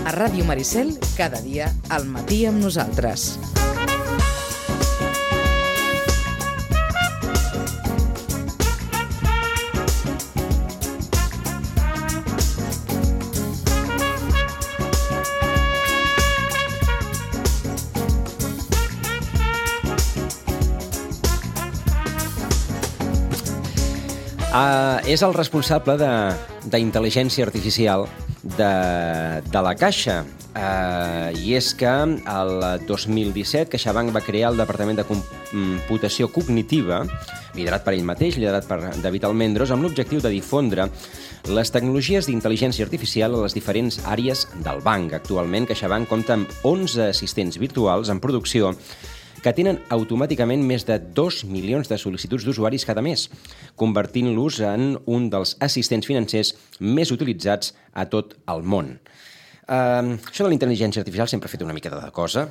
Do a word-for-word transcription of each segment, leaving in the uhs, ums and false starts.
A Ràdio Maricel, cada dia al matí amb nosaltres. Uh, és el responsable d'intel·ligència artificial de, de la Caixa. Uh, I és que el dos mil disset CaixaBank va crear el Departament de Computació Cognitiva, liderat per ell mateix, liderat per David Almendros, amb l'objectiu de difondre les tecnologies d'intel·ligència artificial a les diferents àrees del banc. Actualment, CaixaBank compta amb onze assistents virtuals en producció que tenen automàticament més de dos milions de sol·licituds d'usuaris cada mes, convertint-los en un dels assistents financers més utilitzats a tot el món. Uh, això de la intel·ligència artificial sempre ha fet una mica de cosa,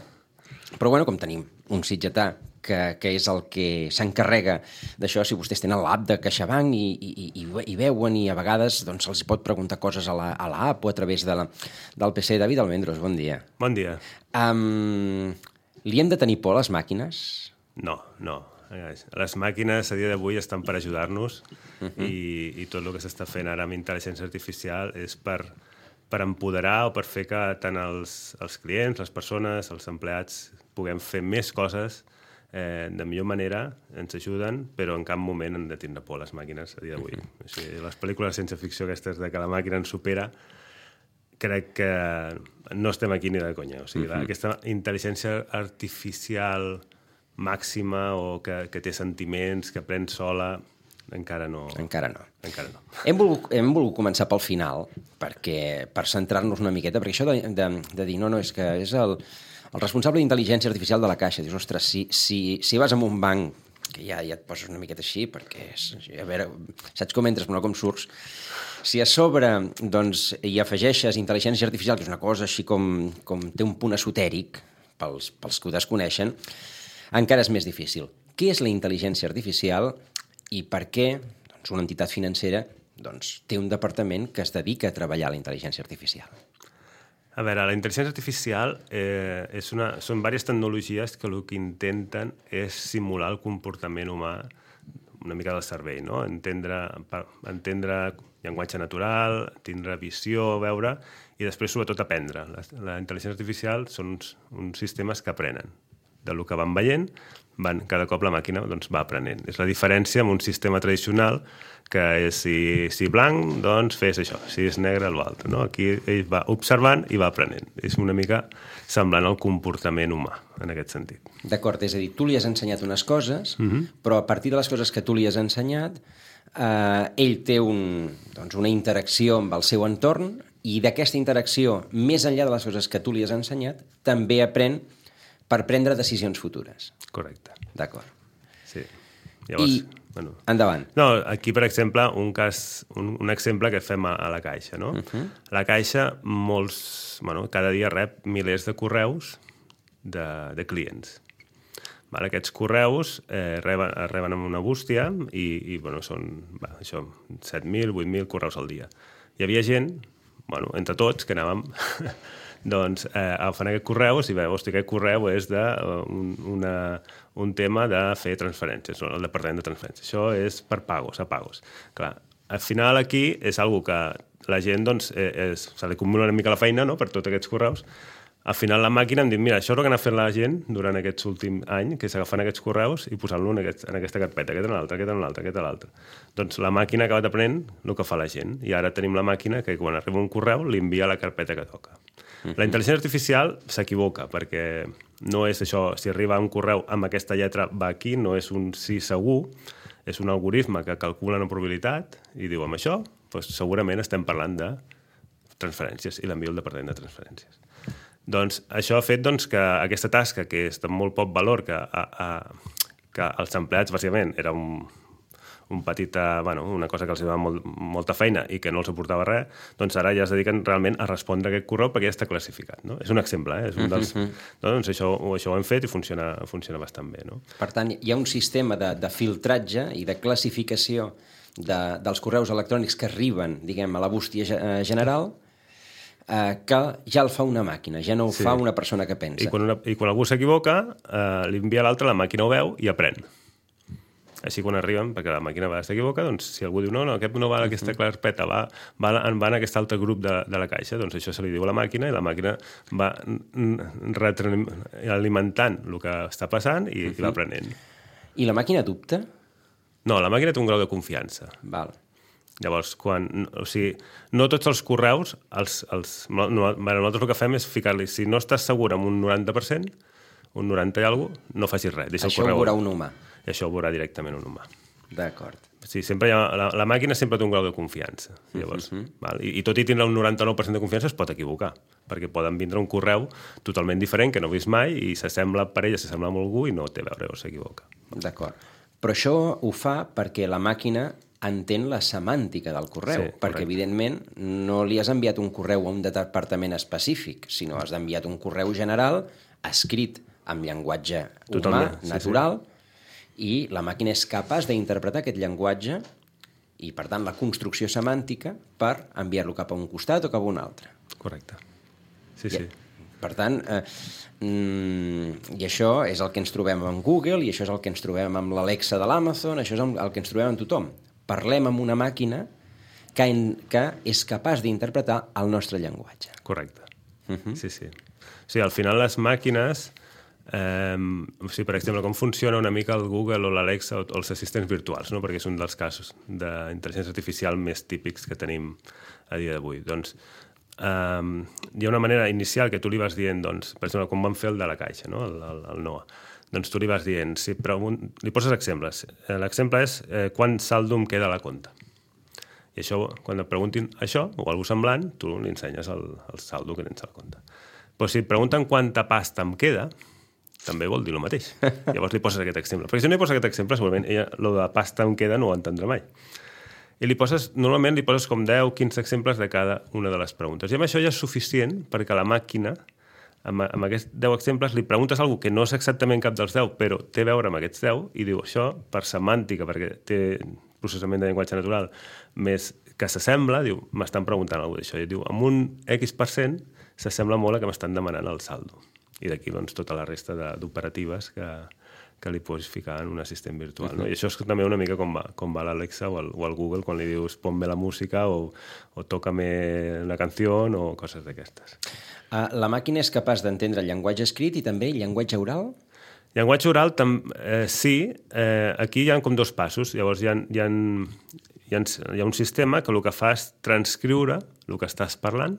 però bueno, com tenim un sitgetà que, que és el que s'encarrega d'això, si vostès tenen l'app de CaixaBank i, i, i, i veuen i a vegades doncs, els pot preguntar coses a la, a l'app o a través de la, del P C. David Almendros, bon dia. Bon dia. Um, Li hem de tenir por a les màquines? No, no. Les màquines a dia d'avui estan per ajudar-nos uh-huh. i, i tot el que s'està fent ara amb intel·ligència artificial és per, per empoderar o per fer que tant els, els clients, les persones, els empleats puguem fer més coses eh, de millor manera, ens ajuden, però en cap moment han de tindre por a les màquines a dia d'avui. Uh-huh. O sigui, les pel·lícules de ciència-ficció aquestes de que la màquina ens supera, crec que no estem aquí ni de conya. O sigui, uh-huh. aquesta intel·ligència artificial màxima o que, que té sentiments, que aprèn sola, encara no. Encara no. Encara no. Hem volgut, hem volgut començar pel final, perquè, per centrar-nos una miqueta, perquè això de, de, de dir, no, no, és que és el, el responsable d'intel·ligència artificial de la Caixa. Dius, ostres, si, si, si vas a un banc, que ja, ja et poses una miqueta així, perquè, és, a veure, saps com entres, però no com surts. Si a sobre doncs, hi afegeixes intel·ligència artificial, que és una cosa així com, com té un punt esotèric, pels, pels que ho desconeixen, encara és més difícil. Què és la intel·ligència artificial i per què doncs, una entitat financera doncs, té un departament que es dedica a treballar la intel·ligència artificial? A veure, la intel·ligència artificial eh, és una, són diverses tecnologies que el que intenten és simular el comportament humà una mica del cervell, no? Entendre, entendre llenguatge natural, tindre visió, veure, i després, sobretot, aprendre. La, la intel·ligència artificial són uns, uns sistemes que aprenen. Del que van veient, van, cada cop la màquina doncs, va aprenent. És la diferència amb un sistema tradicional que és, si, si blanc, doncs fes això, si és negre, l'altre. No? Aquí ell va observant i va aprenent. És una mica semblant al comportament humà, en aquest sentit. D'acord, és a dir, tu li has ensenyat unes coses, uh-huh. però a partir de les coses que tu li has ensenyat, eh, ell té un, doncs, una interacció amb el seu entorn i d'aquesta interacció, més enllà de les coses que tu li has ensenyat, també aprèn per prendre decisions futures. Correcte. D'acord. Sí. Llavors, I, bueno, endavant. No, aquí, per exemple, un cas, un, un exemple que fem a, a la Caixa, no? Uh-huh. La Caixa, molts, bueno, cada dia rep milers de correus de, de clients. Vale, aquests correus eh, reben, reben amb una bústia i, i bueno, són va, això, set mil, vuit mil correus al dia. Hi havia gent, bueno, entre tots, que anàvem doncs, eh, agafant aquests correus i veure, hosti, aquest correu és de uh, un, una, un tema de fer transferències, el departament de transferències. Això és per pagos, a pagos. Clar, al final aquí és algo que la gent, doncs, eh, és, se li acumula una mica la feina, no?, per tots aquests correus. Al final la màquina em diu, mira, això és el que ha fet la gent durant aquests últims anys, que és agafant aquests correus i posant-lo en, aquest, en aquesta carpeta, aquest en l'altre, aquest en l'altre, aquest en l'altre. Doncs la màquina ha acabat aprenent el que fa la gent. I ara tenim la màquina que quan arriba un correu li envia la carpeta que toca. Uh-huh. La intel·ligència artificial s'equivoca, perquè no és això, si arriba un correu amb aquesta lletra va aquí, no és un sí segur, és un algoritme que calcula una probabilitat i diu, amb això, doncs segurament estem parlant de transferències i l'envio al departament de transferències. Doncs això ha fet doncs, que aquesta tasca, que és de molt poc valor, que, a, a, que els empleats, bàsicament, era un, un petit, bueno, una cosa que els donava molt, molta feina i que no els aportava res, doncs ara ja es dediquen realment a respondre a aquest correu perquè ja està classificat. No? És un exemple, eh? És un dels, uh-huh. doncs això, això ho hem fet i funciona, funciona bastant bé. No? Per tant, hi ha un sistema de, de filtratge i de classificació de, dels correus electrònics que arriben, diguem, a la bústia general, eh, que ja el fa una màquina, ja no ho Sí. fa una persona que pensa. I quan, una, i quan algú s'equivoca, eh, li envia a l'altre, la màquina ho veu i aprèn. Així quan arriben, perquè la màquina a vegades s'equivoca, doncs si algú diu no, no, aquest no va a aquesta carpeta, va, va, va en aquest altre grup de, de la caixa, doncs això se li diu a la màquina i la màquina va retroalimentant el que està passant i, uh -huh. i va aprenent. I la màquina dubta? No, la màquina té un grau de confiança. Val. Llavors, quan, o sigui, no tots els correus, els, els, no, no, nosaltres el que fem és ficar-li, si no estàs segur amb un noranta per cent, un noranta i alguna cosa, no facis res. Deixa Això el correu. ho veurà un humà. I això ho veurà directament un humà. D'acord. Sí, sempre hi ha, la, la màquina sempre té un grau de confiança. Llavors, uh -huh. val? I, I tot i tindre un noranta-nou per cent de confiança es pot equivocar, perquè poden vindre un correu totalment diferent que no he vist mai i s'assembla per ella, s'assembla amb algú i no té a veure o s'equivoca. D'acord. Però això ho fa perquè la màquina entén la semàntica del correu, Sí, perquè, correcte. evidentment, no li has enviat un correu a un departament específic, sinó has enviat un correu general escrit amb llenguatge Totalment, humà, sí, natural, sí. I la màquina és capaç d'interpretar aquest llenguatge i, per tant, la construcció semàntica per enviar-lo cap a un costat o cap a un altre. Correcte. Sí, I, sí. Per tant, eh, mm, i això és el que ens trobem amb Google, i això és el que ens trobem amb l'Alexa de l'Amazon, això és el que ens trobem amb tothom. Parlem amb una màquina que, en, que és capaç d'interpretar el nostre llenguatge. Correcte. Uh -huh. Sí, sí. O sigui, al final les màquines... Eh, o sigui, per exemple, com funciona una mica el Google o l'Alexa o, o els assistents virtuals, no? Perquè és un dels casos d'intel·ligència artificial més típics que tenim a dia d'avui. Doncs eh, hi ha una manera inicial que tu li vas dient, doncs, per exemple, com vam fer el de la caixa, no? el, el, el Noah. Doncs tu li vas dient, si pregunt... li poses exemples. L'exemple és eh, quant saldo em queda a la compta. I això, quan et preguntin això, o algú semblant, tu li ensenyes el, el saldo que tens a la compta. Però si et pregunten quanta pasta em queda, també vol dir el mateix. Llavors li poses aquest exemple. Perquè si no li poses aquest exemple, segurament ella, lo de pasta em queda, no ho entendrà mai. I li poses, normalment li poses com deu, quinze exemples de cada una de les preguntes. I amb això ja és suficient perquè la màquina, amb, amb aquests deu exemples, li preguntes alguna que no és exactament cap dels deu, però té a veure amb aquests deu, i diu això, per semàntica, perquè té processament de llenguatge natural més que s'assembla, diu, m'estan preguntant alguna cosa d'això. I diu, amb un X per cent s'assembla molt a que m'estan demanant el saldo. I d'aquí doncs, tota la resta d'operatives que, que li pots ficar en un assistent virtual. Uh-huh. No? I això és també una mica com va, com va l'Alexa o, el, o el Google quan li dius ponme la música o, o tócame una canció o coses d'aquestes. Uh, la màquina és capaç d'entendre el llenguatge escrit i també el llenguatge oral? Llenguatge oral, tam, eh, sí. Eh, aquí hi ha com dos passos. Llavors hi ha, hi, ha, hi, ha, hi ha un sistema que el que fa és transcriure el que estàs parlant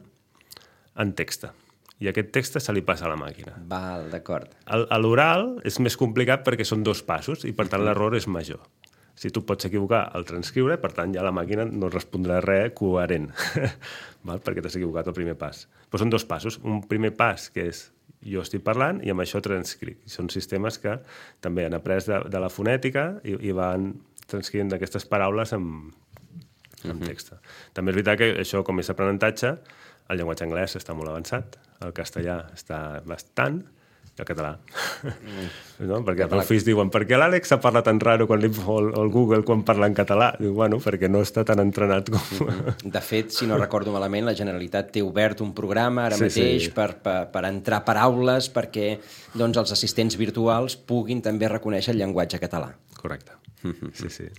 en text. I aquest text se li passa a la màquina. Val, d'acord. A l'oral és més complicat perquè són dos passos i, per tant, l'error és major. Si tu pots equivocar al transcriure, per tant, ja la màquina no respondrà res coherent, val? Perquè t'has equivocat el primer pas. Però són dos passos. Un primer pas, que és jo estic parlant, i amb això transcric. Són sistemes que també han après de, de la fonètica i, i van transcrivint aquestes paraules amb, amb text. Uh-huh. També és veritat que això, com és aprenentatge, el llenguatge anglès està molt avançat, el castellà està bastant, i el català. Mm. No? Perquè els meus fills diuen, per què l'Àlexa parla tan raro quan li, o, el, o el Google quan parla en català? Diu, bueno, perquè no està tan entrenat com... Mm-hmm. De fet, si no recordo malament, la Generalitat té obert un programa ara sí, mateix sí. Per, per, per entrar paraules perquè doncs, els assistents virtuals puguin també reconèixer el llenguatge català. Correcte. Mm-hmm. Sí, sí.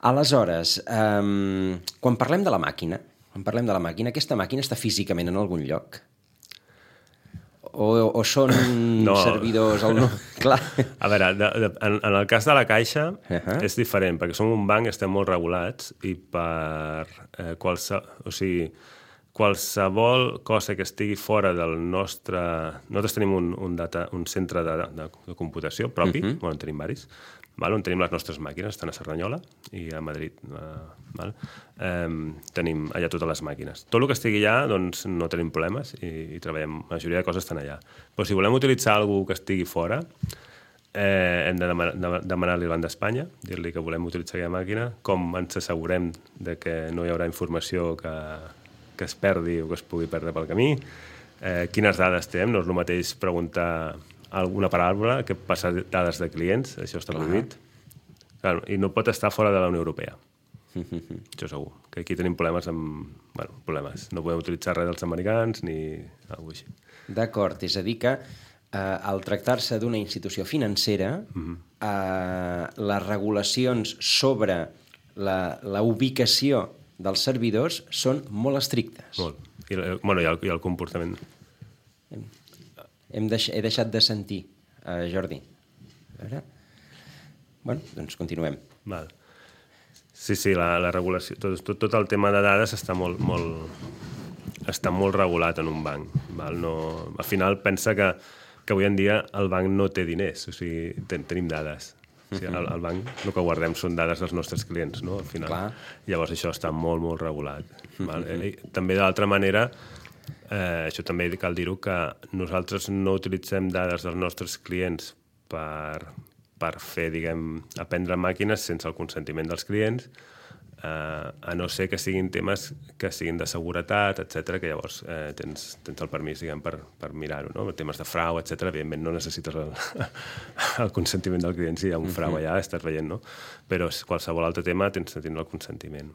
Aleshores, um, quan parlem de la màquina, quan parlem de la màquina, aquesta màquina està físicament en algun lloc? O, o són no. servidors... Al... No. Clar. A veure, de, de, en, en el cas de la Caixa uh-huh. és diferent, perquè som un banc, estem molt regulats i per eh, qualse, o sigui, qualsevol cosa que estigui fora del nostre... Nosaltres tenim un, un, data, un centre de, de, de computació propi, uh-huh. bueno, en tenim varis, val? On tenim les nostres màquines, estan a Cerdanyola i a Madrid. Uh, val? Um, tenim allà totes les màquines. Tot el que estigui allà, doncs, no tenim problemes i, i treballem. La majoria de coses estan allà. Però si volem utilitzar alguna que estigui fora, eh, hem de demanar, demanar-li al Banc d'Espanya, dir-li que volem utilitzar aquella màquina, com ens assegurem de que no hi haurà informació que, que es perdi o que es pugui perdre pel camí, eh, quines dades té, no és el mateix preguntar alguna paraula que passar dades de clients, això està prohibit. Claro, i no pot estar fora de la Unió Europea. Això segur. Que aquí tenim problemes amb... Bueno, problemes. No podem utilitzar res dels americans ni alguna cosa així. D'acord, és a dir que eh, al tractar-se d'una institució financera, mm-hmm. eh, les regulacions sobre la, la ubicació dels servidors són molt estrictes. Molt. I, bueno, i, el, i el comportament. Hem, hem deix, he deixat de sentir, eh, Jordi. A veure... Bueno, doncs continuem. Val. Sí, sí, la, la regulació... Tot, tot, tot el tema de dades està molt, molt, està molt regulat en un banc. Val? No, al final pensa que, que avui en dia el banc no té diners, o sigui, ten, tenim dades. O sigui, el, el banc el que guardem són dades dels nostres clients, no? Al final. Clar. Llavors això està molt, molt regulat. Val? I, també d'altra manera, eh, això també cal dir-ho, que nosaltres no utilitzem dades dels nostres clients per... per fer, diguem, aprendre màquines sense el consentiment dels clients, eh, a no ser que siguin temes que siguin de seguretat, etcètera, que llavors eh, tens, tens el permís, diguem, per, per mirar-ho, no? Temes de frau, etcètera, evidentment no necessites el, el consentiment del client, si hi ha un frau allà, estàs veient, no? Però qualsevol altre tema tens de tindre el consentiment.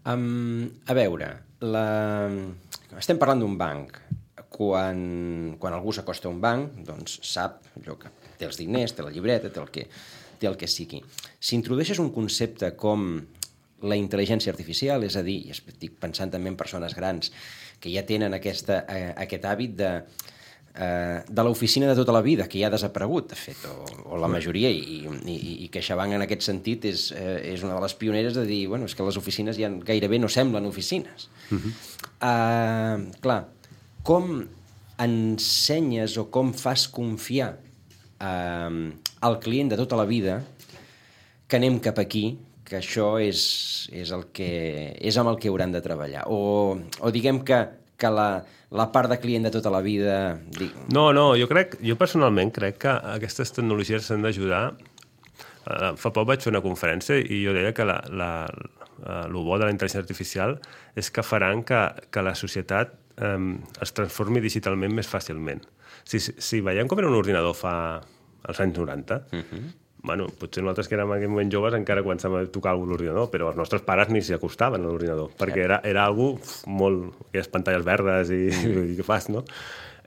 Um, a veure, la... estem parlant d'un banc. Quan, quan algú s'acosta a un banc, doncs sap allò que té els diners, té la llibreta, té el que, té el que sigui. Si introdueixes un concepte com la intel·ligència artificial, és a dir, i estic pensant també en persones grans que ja tenen aquesta, eh, aquest hàbit de, eh, de l'oficina de tota la vida, que ja ha desaparegut, de fet, o, o la majoria, i, i, i CaixaBank en aquest sentit és, eh, és una de les pioneres de dir, bueno, és que les oficines ja gairebé no semblen oficines. Uh-huh. Uh, clar, com ensenyes o com fas confiar eh, al client de tota la vida que anem cap aquí, que això és, és, el que, és amb el que hauran de treballar? O, o diguem que, que la, la part de client de tota la vida... Dic... No, no, jo crec, jo personalment crec que aquestes tecnologies s'han d'ajudar. Uh, fa poc vaig fer una conferència i jo deia que la, la, uh, el bo de la intel·ligència artificial és que faran que, que la societat Um, es transformi digitalment més fàcilment. Si, si, si veiem com era un ordinador fa als anys noranta, uh-huh. bueno, potser nosaltres que érem en aquell moment joves encara començàvem a tocar alguna l'ordinador, però els nostres pares ni s'hi acostaven a l'ordinador, perquè era, era algo molt... aquelles pantalles verdes i, uh-huh. i què fas, no?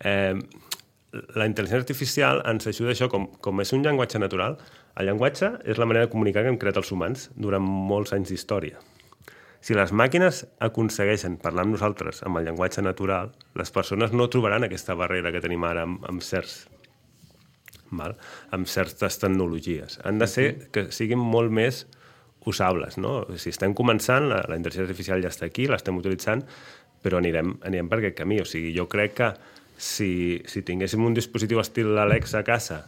Eh, la intel·ligència artificial ens ajuda això, com, com és un llenguatge natural, el llenguatge és la manera de comunicar que hem creat els humans durant molts anys d'història. Si les màquines aconsegueixen parlar amb nosaltres amb el llenguatge natural, les persones no trobaran aquesta barrera que tenim ara amb, amb certs, val? amb certes tecnologies. Han de ser que siguin molt més usables, no? Si estem començant, la, la intel·ligència artificial ja està aquí, l'estem utilitzant, però anirem, anirem per aquest camí. O sigui, jo crec que si, si tinguéssim un dispositiu estil Alexa a casa,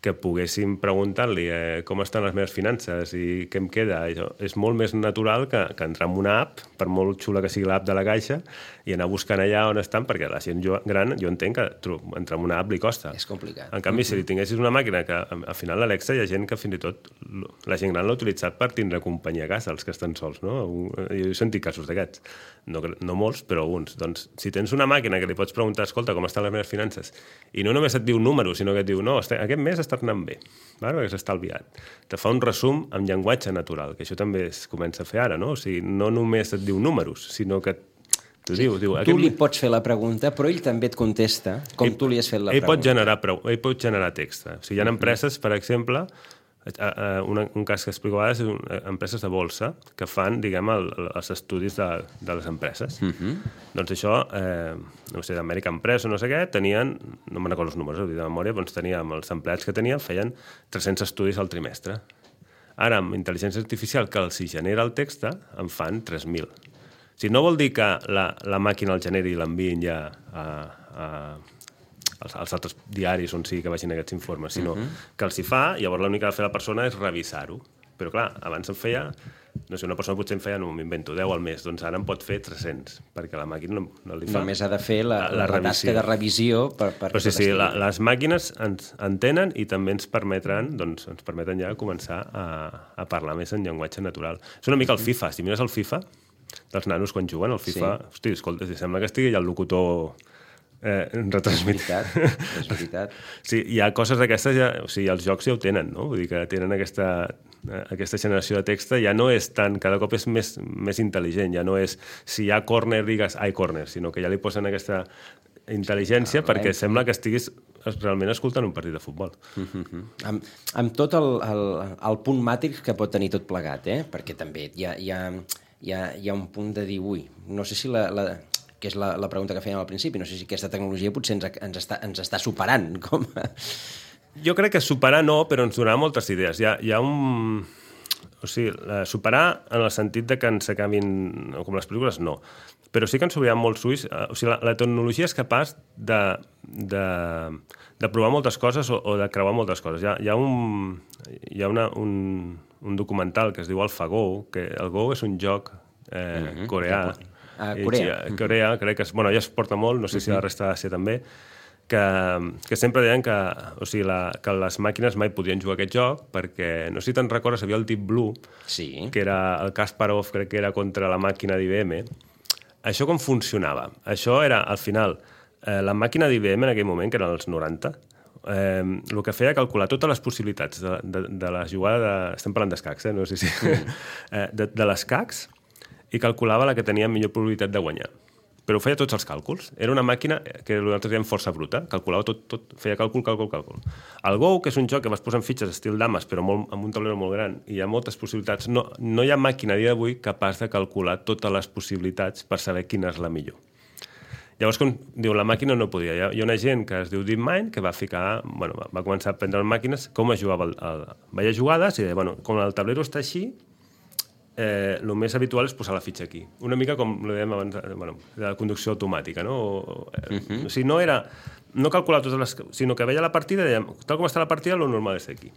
que poguéssim preguntar-li eh, com estan les meves finances i què em queda. Això és molt més natural que, que entrar en una app, per molt xula que sigui l'app de la Caixa, i anar buscant allà on estan, perquè la gent jo, gran, jo entenc que entrar en una app li costa. És complicat. En canvi, si li tinguessis una màquina que, al final, l'Alexa, hi ha gent que fins i tot, la gent gran l'ha utilitzat per tindre companyia a casa, els que estan sols, no? Jo he sentit casos d'aquests. No, no molts, però alguns. Doncs, si tens una màquina que li pots preguntar, escolta, com estan les meves finances, i no només et diu números, sinó que et diu, no, aquest mes està anant bé, perquè s'ha estalviat. Te fa un resum amb llenguatge natural, que això també es comença a fer ara, no? O sigui, no només et diu números, sinó que t'ho sí, diu. diu tu li pots fer la pregunta, però ell també et contesta com ell, tu li has fet la ell pregunta. Pot generar, ell pot generar text. O sigui, hi ha empreses, per exemple, un, un cas que explico ara és empreses de bolsa que fan, diguem, el, els estudis de, de les empreses. Uh-huh. Doncs això, eh, no sé, d'American Press o no sé què, tenien, no me'n recordo els números, ho dic de memòria, doncs teníem, els empleats que tenien feien tres-cents estudis al trimestre. Ara, amb intel·ligència artificial, que els hi genera el text, en fan tres mil. O sigui, no vol dir que la, la màquina el generi i l'enviïn ja a... a Els, els altres diaris on sigui que vagin aquests informes, sinó uh-huh. que els hi fa, i llavors l'únic que ha de fer la persona és revisar-ho. Però clar, abans en feia, no sé, una persona potser en feia, no m'invento, deu al mes, doncs ara en pot fer tres-cents, perquè la màquina no, no li fa. Només ha de fer la, la, la tasca de revisió per, per però sí, sí, la, les màquines ens entenen i també ens permetran, doncs, ens permeten ja començar a, a parlar més en llenguatge natural. És una mica el FIFA, si mires el FIFA, dels nanos quan juguen, el FIFA, sí. Hosti, escolta, si sembla que estigui ja el locutor Eh, retransmit. És veritat, és veritat. Sí, hi ha coses d'aquestes, ja, o sigui, els jocs ja ho tenen, no? Vull dir que tenen aquesta, aquesta generació de text, ja no és tant, cada cop és més, més intel·ligent, ja no és, si hi ha córner, digues, ai, córner, sinó que ja li posen aquesta intel·ligència ah, perquè sembla que estiguis realment escoltant un partit de futbol. Mm-hmm. Amb, amb tot el, el, el punt màtrix que pot tenir tot plegat, eh? Perquè també hi ha, hi ha, hi ha, hi ha un punt de dir, ui, no sé si la... la que és la, la pregunta que fèiem al principi, no sé si aquesta tecnologia potser ens, ens, està, ens està superant. Com a... Jo crec que superar no, però ens donarà moltes idees. Hi ha, hi ha un... O sigui, superar en el sentit de que ens acabin... Com les pel·lícules, no. Però sí que ens obriran molts ulls. O sigui, la, la tecnologia és capaç de, de, de provar moltes coses o, o de creuar moltes coses. Hi ha, hi ha, un, hi ha una, un, un documental que es diu AlphaGo, que el Go és un joc eh, mm-hmm. coreà. A Corea. A Corea, crec que... Bueno, ja es porta molt, no sé si a la resta d'Àsia també, que, que sempre deien que, o sigui, la, que les màquines mai podien jugar aquest joc perquè, no sé si te'n recordes, havia el Deep Blue, sí. que era el Kasparov, crec que era contra la màquina d'I B M. Això com funcionava? Això era, al final, eh, la màquina d'I B M en aquell moment, que eren els noranta, eh, el que feia calcular totes les possibilitats de, de, de la jugada de... Estem parlant d'escacs, eh? No sé si... Mm. eh, de, de l'escacs, i calculava la que tenia millor probabilitat de guanyar. Però feia tots els càlculs. Era una màquina que nosaltres dèiem força bruta, calculava tot, tot, feia càlcul, càlcul, càlcul. El Go, que és un joc que vas posant fitxes estil dames, però molt, amb un taulero molt gran, i hi ha moltes possibilitats, no, no hi ha màquina a dia d'avui capaç de calcular totes les possibilitats per saber quina és la millor. Llavors, com diu, la màquina no podia. Hi ha, hi ha una gent que es diu DeepMind que va ficar, bueno, va començar a aprendre màquines, com es jugava, el, el, veia jugades i deia, bueno, com el taulero està així, Eh, el més habitual és posar la fitxa aquí. Una mica com ho dèiem abans, bueno, de la conducció automàtica, no? O, eh, uh-huh. O sigui, no era... No calcular totes les... Sinó que veia la partida i dèiem, tal com està la partida, lo normal és aquí.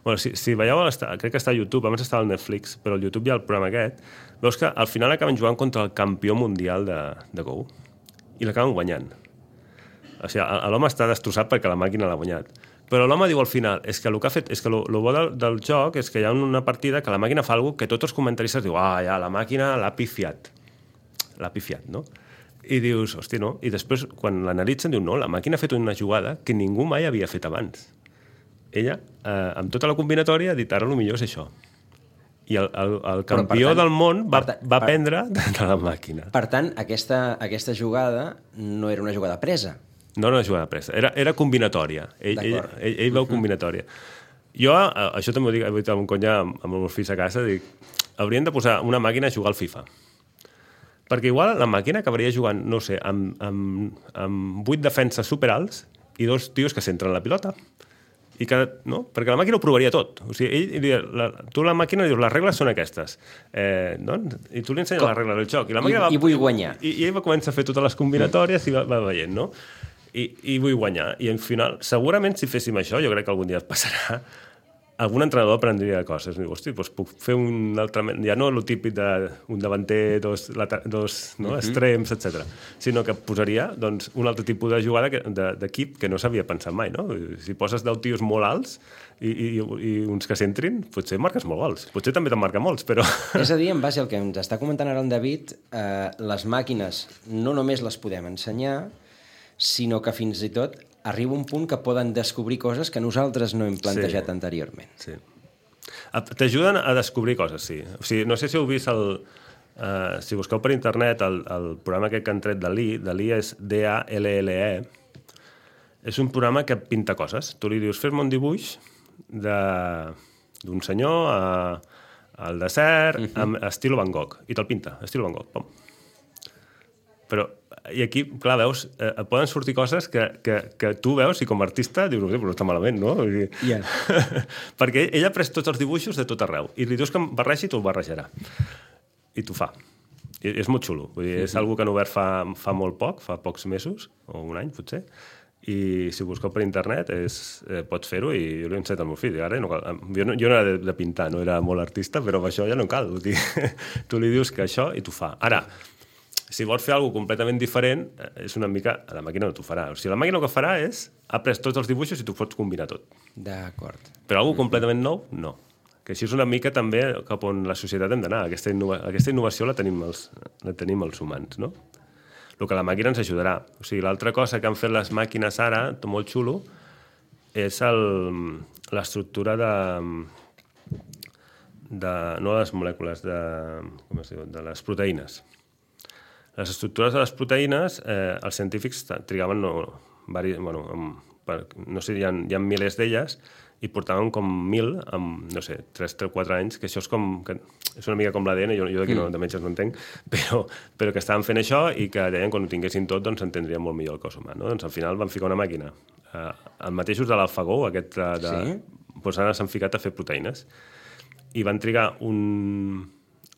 Bueno, si, si veieu, crec que està a YouTube, abans estava al Netflix, però al YouTube hi ha el programa aquest, veus que al final acaben jugant contra el campió mundial de, de Go i l'acaben guanyant. O sigui, l'home està destrossat perquè la màquina l'ha guanyat. Però l'home diu al final, és que el que ha fet, és que el bo del, del joc és que hi ha una partida que la màquina fa alguna cosa que tots els comentaristes diuen, ah, ja, la màquina l'ha pifiat. L'ha pifiat, no? I dius, hosti, no? I després, quan l'analitzen, diu, no, la màquina ha fet una jugada que ningú mai havia fet abans. Ella, eh, amb tota la combinatòria, ha dit, ara el millor és això. I el, el, el campió tant, del món va, per, va aprendre de, de la màquina. Per tant, aquesta, aquesta jugada no era una jugada presa. No era una jugada presa, era, era combinatòria. Ell, ell, ell, ell veu combinatòria. Jo, això també ho dic, he dit amb un conya amb, amb els meus fills a casa, dic, haurien de posar una màquina a jugar al FIFA. Perquè igual la màquina acabaria jugant, no sé, amb, amb, amb vuit defenses superalts i dos tios que centren la pilota. I que, no? Perquè la màquina ho provaria tot. O sigui, ell, ell, la, tu la màquina dius, les regles són aquestes. Eh, no? I tu li ensenyes Com? les regles del joc. I, la I, va, i vull guanyar. I, I ell va començar a fer totes les combinatòries i va, va veient, no? I, i vull guanyar. I, al final, segurament, si féssim això, jo crec que algun dia et passarà, algun entrenador aprendria coses. Diu, hosti, doncs puc fer un altre... Ja no el típic d'un davanter, dos, dos no, uh-huh. extrems, etcètera, sinó que posaria doncs, un altre tipus de jugada d'equip que no s'havia pensat mai. No? Si poses deu tios molt alts i, i, i uns que s'entrin, potser marques molt gols. Potser també te'n marca molts, però... És a dir, en base al que ens està comentant ara en David, eh, les màquines no només les podem ensenyar, sinó que fins i tot arriba un punt que poden descobrir coses que nosaltres no hem plantejat sí. anteriorment. Sí. T'ajuden a descobrir coses, sí. O sigui, no sé si heu vist el... Uh, si busqueu per internet el, el programa aquest que han tret Dalí, Dalí és D A L L E, és un programa que pinta coses. Tu li dius, fes-me un dibuix d'un senyor a, al desert, uh-huh. amb estil Van Gogh, i te'l pinta, estil Van Gogh, pom. Però i aquí, clar, veus, eh, poden sortir coses que, que, que tu veus i com a artista dius, però està malament, no? Yeah. Perquè ell ha pres tots els dibuixos de tot arreu i li dius que em barregi i t'ho barrejarà. I t'ho fa. I és molt xulo. Vull dir, és mm-hmm. una que han obert fa, fa molt poc, fa pocs mesos, o un any, potser, i si busqueu per internet és, eh, pots fer-ho i jo l'he ensenyat al meu fill. Ara no cal, jo, no, jo no era de, de pintar, no era molt artista, però amb això ja no cal. Vull dir, tu li dius que això i t'ho fa. Ara, si vols fer alguna cosa completament diferent, és una mica... La màquina no t'ho farà. O sigui, la màquina el que farà és... Ha pres tots els dibuixos i tu pots combinar tot. D'acord. Però alguna cosa completament nou, no. Que així és una mica també cap on la societat hem d'anar. Aquesta, innova... Aquesta innovació la tenim, els... la tenim els humans, no? el que la màquina ens ajudarà. O sigui, l'altra cosa que han fet les màquines ara, molt xulo, és l'estructura de, de... no de les molècules, de, com es diu, de les proteïnes. Les estructures de les proteïnes, eh, els científics trigaven, no, vari, bueno, per, no sé, hi ha, hi ha milers d'elles, i portaven com mil, amb, no sé, tres o quatre anys, que això és com... Que és una mica com l'A D N, jo, jo d'aquí no, de metges no entenc, però, però que estaven fent això i que deien que quan ho tinguessin tot doncs entendrien molt millor el cos humà. No? Doncs al final van ficar una màquina. Eh, els mateixos de l'AlphaGo, aquest de... de sí? Doncs ara s'han ficat a fer proteïnes. I van trigar un,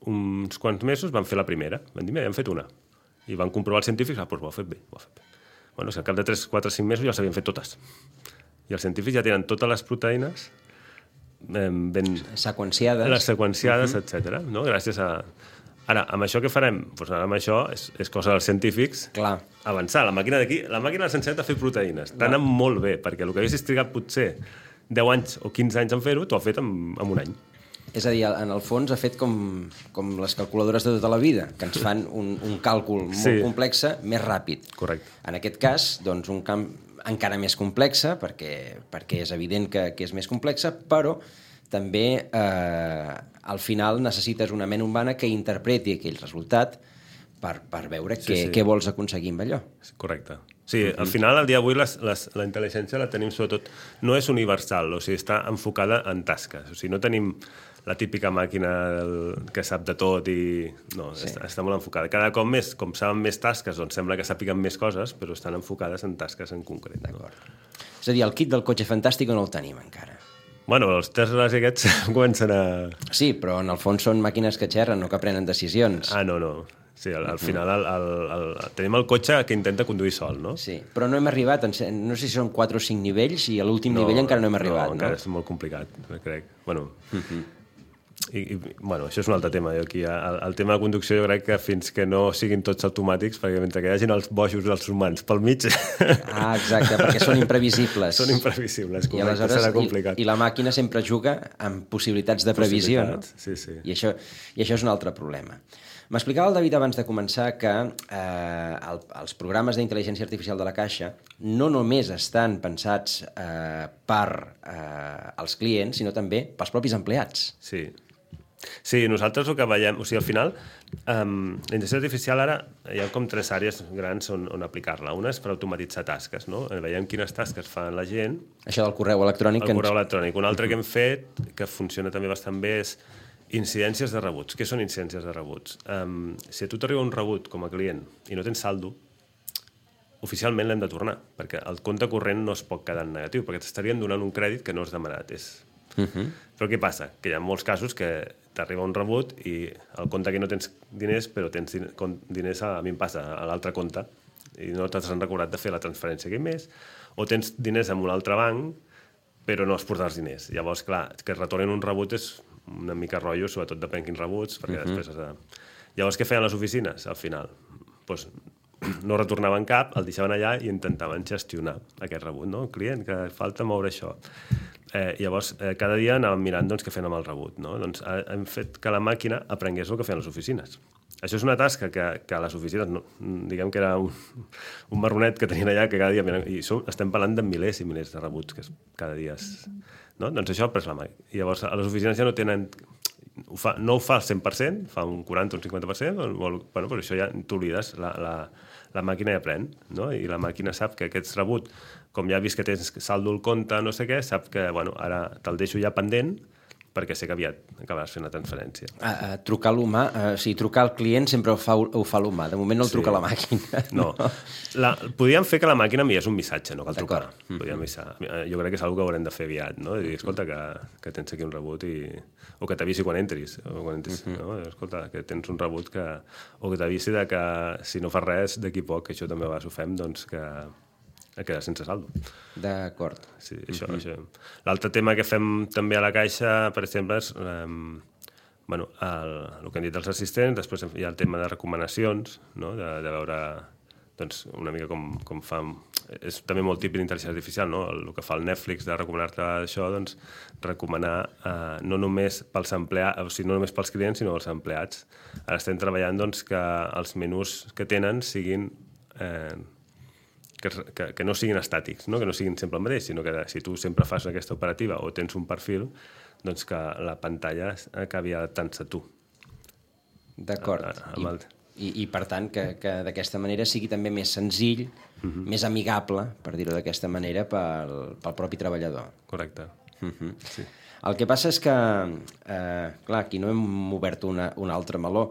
uns quants mesos, van fer la primera. Van dir, mira, hem fet una. I van comprovar els científics, ah, doncs ho ha fet bé, ho ha fet bé. Bueno, si al cap de tres, quatre, cinc mesos ja les havien fet totes. I els científics ja tenen totes les proteïnes ben... seqüenciades. Les seqüenciades, uh -huh. etcètera. No? Gràcies a... Ara, amb això què farem? Doncs ara amb això és, és cosa dels científics. Clar. Avançar. La màquina d'aquí, la màquina ens ensenyat a fer proteïnes. T'ha molt bé, perquè el que haguessis trigat potser deu anys o quinze anys en fer-ho, t'ho ha fet en, en un any. És a dir, en el fons ha fet com, com les calculadores de tota la vida, que ens fan un, un càlcul molt sí. complex més ràpid. Correcte. En aquest cas, doncs, un camp encara més complexa, perquè, perquè és evident que, que és més complexa, però també eh, al final necessites una ment humana que interpreti aquell resultat per, per veure sí, què, sí. què vols aconseguir amb allò. Correcte. Sí, uh -huh. Al final, al dia d'avui, les, les, la intel·ligència la tenim sobretot... No és universal, o sigui, està enfocada en tasques. O sigui, no tenim la típica màquina que sap de tot i... No, sí. està, està molt enfocada. Cada cop més, com saben més tasques, doncs sembla que sàpiguen més coses, però estan enfocades en tasques en concret. D'acord. No? És a dir, el kit del cotxe fantàstic no el tenim encara. Bueno, els Teslas i aquests comencen a... Sí, però en el fons són màquines que xerren, no que prenen decisions. Ah, no, no. Sí, al, al final el, el, el, el, tenim el cotxe que intenta conduir sol, no? Sí, però no hem arribat, no sé si són quatre o cinc nivells i a l'últim no, nivell encara no hem arribat, no? No, encara és molt complicat, crec. Bueno, uh-huh. i, i, bueno, això és un altre tema. Jo aquí, el, el tema de conducció jo crec que fins que no siguin tots automàtics, perquè mentre que hi hagin els bojos dels humans pel mig... Ah, exacte, perquè són imprevisibles. Són imprevisibles, correcte, serà complicat. I, I la màquina sempre juga amb possibilitats de previsió, possibilitats, no? Sí, sí. I això, I això és un altre problema. M'explicava el David abans de començar que eh, el, els programes d'intel·ligència artificial de la Caixa no només estan pensats eh, per eh, als clients, sinó també pels propis empleats. Sí. Sí, nosaltres el que veiem... O sigui, al final, um, la intel·ligència artificial ara hi ha com tres àrees grans on, on aplicar-la. Una és per automatitzar tasques, no? Veiem quines tasques fan la gent. Això del correu electrònic. El correu ens... electrònic. Un altre que hem fet, que funciona també bastant bé, és incidències de rebuts. Què són incidències de rebuts? Um, si a tu t'arriba un rebut com a client i no tens saldo, oficialment l'hem de tornar, perquè el compte corrent no es pot quedar en negatiu, perquè t'estarien donant un crèdit que no has demanat. És... Uh-huh. Però què passa? Que hi ha molts casos que t'arriba un rebut i el compte que no tens diners, però tens diners, a, a mi em passa, a l'altre compte, i no t'has recordat de fer la transferència aquell mes, o tens diners en un altre banc, però no has portat els diners. Llavors, clar, que es retornin un rebut és una mica rotllo, sobretot depèn quins rebuts, perquè uh-huh. després has de... Llavors, què feien les oficines, al final? Pues, no retornaven cap, el deixaven allà i intentaven gestionar aquest rebut, no? El client, que falta moure això. Eh, llavors, eh, cada dia anàvem mirant doncs, què feien amb el rebut, no? Doncs hem fet que la màquina aprengués el que feien les oficines. Això és una tasca que, que a les oficines, no, diguem que era un, un marronet que tenien allà, que cada dia... I som, estem parlant de milers i milers de rebuts, que cada dia és... No? Doncs això ha pres la màquina. I llavors, a les oficines ja no tenen... Ho fa, no ho fa al cent per cent, fa un quaranta o un cinquanta per cent, bueno, però això ja t'oblides, la, la, la màquina ja aprèn, no? I la màquina sap que aquest rebut, com ja ha vist que tens saldo al compte, no sé què, sap que, bueno, ara te'l deixo ja pendent, perquè sé que aviat acabaràs fent la transferència. A, a trucar l'humà, uh, o sigui, trucar al client sempre ho fa, ho fa l'humà, de moment no el sí. truca la màquina. No, la, podríem fer que la màquina enviés un missatge, no cal trucar. Podríem avisar. Jo crec que és una cosa que haurem de fer aviat, no? I dir, escolta, que, que tens aquí un rebut i... o que t'avisi quan entris, o quan entris uh-huh. no? Escolta, que tens un rebut que... o que t'avisi de que si no fas res d'aquí poc, que això també a vegades ho fem, doncs que a quedar sense saldo. D'acord. Sí, això, uh-huh. això. L'altre tema que fem també a la Caixa, per exemple, és um, bueno, el, el que han dit els assistents, després hi ha el tema de recomanacions, no? de, de veure doncs, una mica com, com fa... És també molt típic d'intel·ligència artificial, no? El, el que fa el Netflix de recomanar-te això, doncs, recomanar eh, no només pels empleats, o sigui, no només pels clients, sinó els empleats. Ara estem treballant doncs, que els menús que tenen siguin eh, que, que, que no siguin estàtics, no? Que no siguin sempre el mateix, sinó que si tu sempre fas aquesta operativa o tens un perfil, doncs que la pantalla acabi adaptant-se a tu. D'acord. I, i, I, per tant, que, que d'aquesta manera sigui també més senzill, uh-huh. més amigable, per dir-ho d'aquesta manera, pel, pel propi treballador. Correcte. Uh-huh. Sí. El que passa és que, eh, clar, aquí no hem obert una, un altre meló.